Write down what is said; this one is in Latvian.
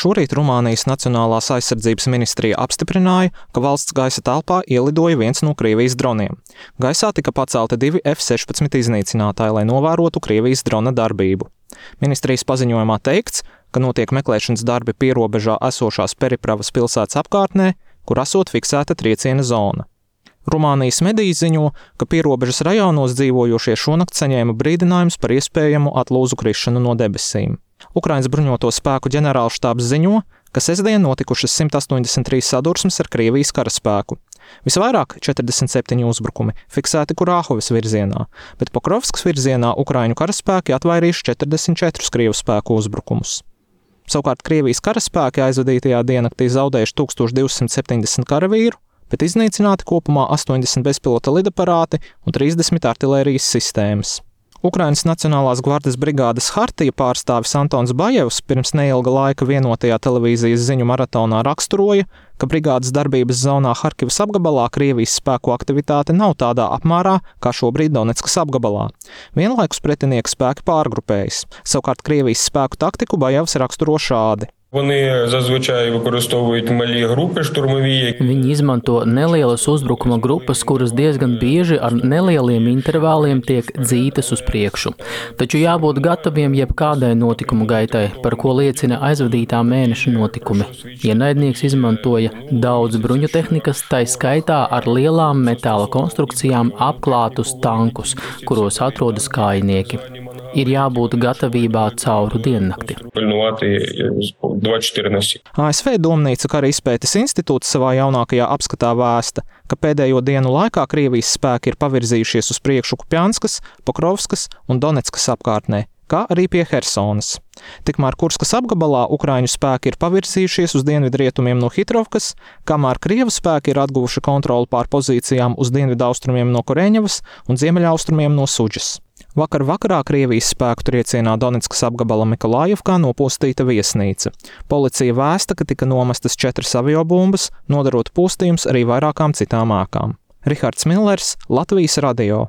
Šorīt Rumānijas Nacionālās aizsardzības ministrija apstiprināja, ka valsts gaisa telpā ielidoja viens no Krievijas droniem. Gaisā tika pacelti 2 F-16 iznīcinātāji, lai novērotu Krievijas drona darbību. Ministrijas paziņojumā teikts, ka notiek meklēšanas darbi pierobežā esošās Peripravas pilsētas apkārtnē, kur esot fiksēta trieciena zona. Rumānijas mediji ziņo, ka pierobežas rajonos dzīvojošie šonakt saņēma brīdinājumus par iespējamu atlūzu krišanu no debesīm. Ukrainas bruņoto spēku ģenerālštābs ziņo, ka sestdien notikušas 183 sadursmes ar Krievijas karaspēku. Visvairāk 47 uzbrukumi fiksēti Kurāhovas virzienā, bet Pokrovskas virzienā Ukraiņu karaspēki atvairījuši 44 Krievu spēku uzbrukumus. Savukārt Krievijas karaspēki aizvadītajā diennaktī zaudējuši 1270 karavīru, bet iznīcināti kopumā 80 bezpilota lidaparāti un 30 artilērijas sistēmas. Ukrainas Nacionālās gvardes brigādes Hartija pārstāvis Antons Bajevs pirms neilga laika vienotajā televīzijas ziņu maratonā raksturoja, ka brigādes darbības zonā Harkivas apgabalā Krievijas spēku aktivitāte nav tādā apmērā, kā šobrīd Doneckas apgabalā. Vienlaikus pretinieka spēki pārgrupējas. Savukārt Krievijas spēku taktiku Bajevs raksturo šādi. Вони зазвичай використовують малі групи штурмові. Viņi izmanto nelielas uzbrukuma grupas, kuras diezgan bieži ar nelieliem intervāliem tiek dzītas uz priekšu. Taču jābūt gataviem jebkādai notikumu gaitai, par ko liecina aizvadītā mēneša notikumi. Ienaidnieks izmantoja daudz bruņu tehnikas, tai skaitā ar lielām metāla konstrukcijām apklātus tankus, kuros atrodas kājnieki. Ir jābūt gatavībā cauru diennakti. ASV Domnīca kara izpētes institūts savā jaunākajā apskatā vēsta, ka pēdējo dienu laikā Krievijas spēki ir pavirzījušies uz priekšu Kupjanskas, Pokrovskas un Doneckas apkārtnē, kā arī pie Hersonas. Tikmēr Kurskas apgabalā Ukraiņu spēki ir pavirzījušies uz dienvidrietumiem no Hitrovkas, kamēr Krievu spēki ir atguvuši kontroli pār pozīcijām uz dienvidaustrumiem no Koreņevas un ziemeļaustrumiem no Suģas. Vakar vakarā Krievijas spēku triecienā Doneckas apgabala Mikolājevkā nopostīta viesnīca. Policija vēsta, ka tika nomestas 4 aviobumbas, nodarot postījums arī vairākām citām ēkām. Rihards Millers, Latvijas radio.